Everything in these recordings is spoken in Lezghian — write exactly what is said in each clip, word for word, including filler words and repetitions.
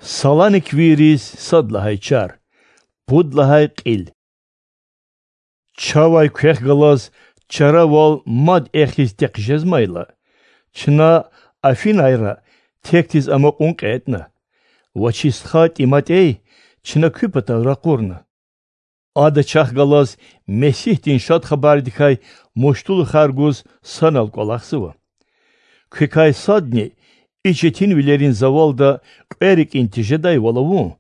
Саланиквийриз сад лагьай чар, пуд лагьай кьил. Чавай квехъ галаз чаравал мад эхиз текъ жезмайла, чна Афинайра текдиз амукьун кьетІна ва чи стха ТиматІей чна куь патал ракъурна. Ада чахъ галаз Месигьдин Шад Хабардикай муштулухар гуз санал кІвалахзава. Квекай садни и четинвилерин завалда кьве рикІин тежедайвал авун,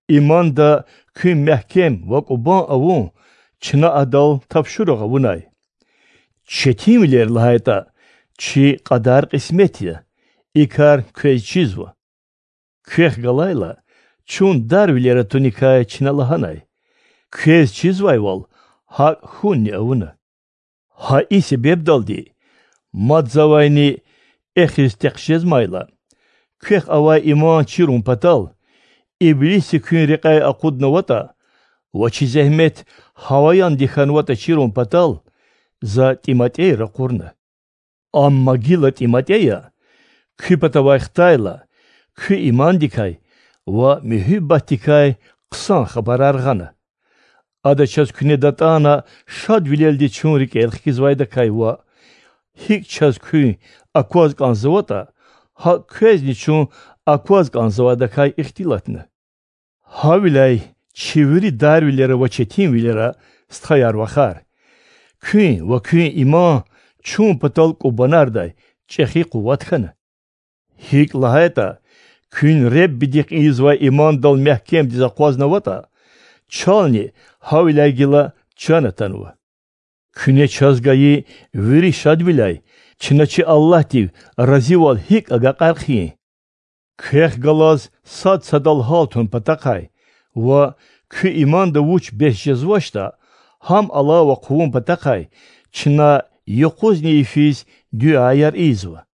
иманда куьн мягькем ва кІубан авун чна адал тапшуругъ авунай. Четинвилер лагьайтІа, чи кьадар-кьисмет я, и кар квез чизва. Квехъ галайла, чун дарвилер атуникай чна лагьанай: квез чизвайвал гьакІ хьунни авуна. Гьа и себебдалди, мад завайни эхиз текъ жезмайла, квехъ авай иман чирун патал, иблисди куьн рекьяй акъуднаватІа ва чи зегьмет гьаваяндик хьанватІа чирун патал, за ТиматІей ракъурна. Амма гила ТиматІея куь патавай хтайла, куь имандикай ва муьгьуьббатдикай хъсан хабарар гъана. Ада чаз куьне датІана шадвилелди чун рикІел хкизвайдакай ва, гьикІ чаз куьн акваз кІанзаватІа, гьакІ квезни чун акваз кІанзавайдакай ихтилатна. Гьавиляй, чи вири дарвилера ва четинвилера, стхаяр-вахар, куьн ва куьн иман чун патал кІубанардай чІехи къуват хьана. ГьикІ лагьайтІа, куьн Худадихъ ийизвай имандал мягькемдиз акъвазнаватІа, чални гьавиляй гила чан атанва. Куьне чаз гайи вири шадвиляй чна чи Аллагьдив разивал гьикІ агакьар хъийин? Квехъ галаз сад садал гьалтун патахъай ва куь иманда вуч бес жезвачтІа, гьам алава хъувун патахъай чна юкъузни йифиз дуьаяр ийизва.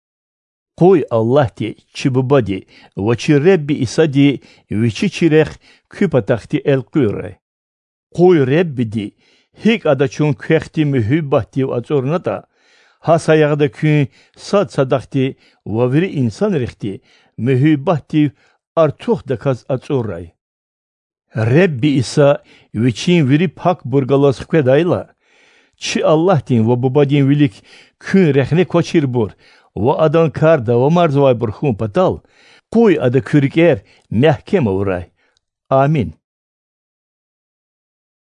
Къуй Аллагьди чи Бубади ва чи Худа Исади Вичи чи рехъ куь патахъди элкъуьрай. Къуй Худади, гьикІ Ада чун квехъди муьгьуьббатдив ацІурнатІа, гьа саягъда куьн сад садахъди ва вири инсанрихъди муьгьуьббатдив артухдаказ ацІурай. Худа Иса Вичин вири пакбур галаз хкведайла, чи Аллагьдин ва Бубадин вилик куьн рехне квачирбур ва Адан кар давамарзавайбур хьун патал, къуй Ада куь рикІер мягькем авурай. Амин.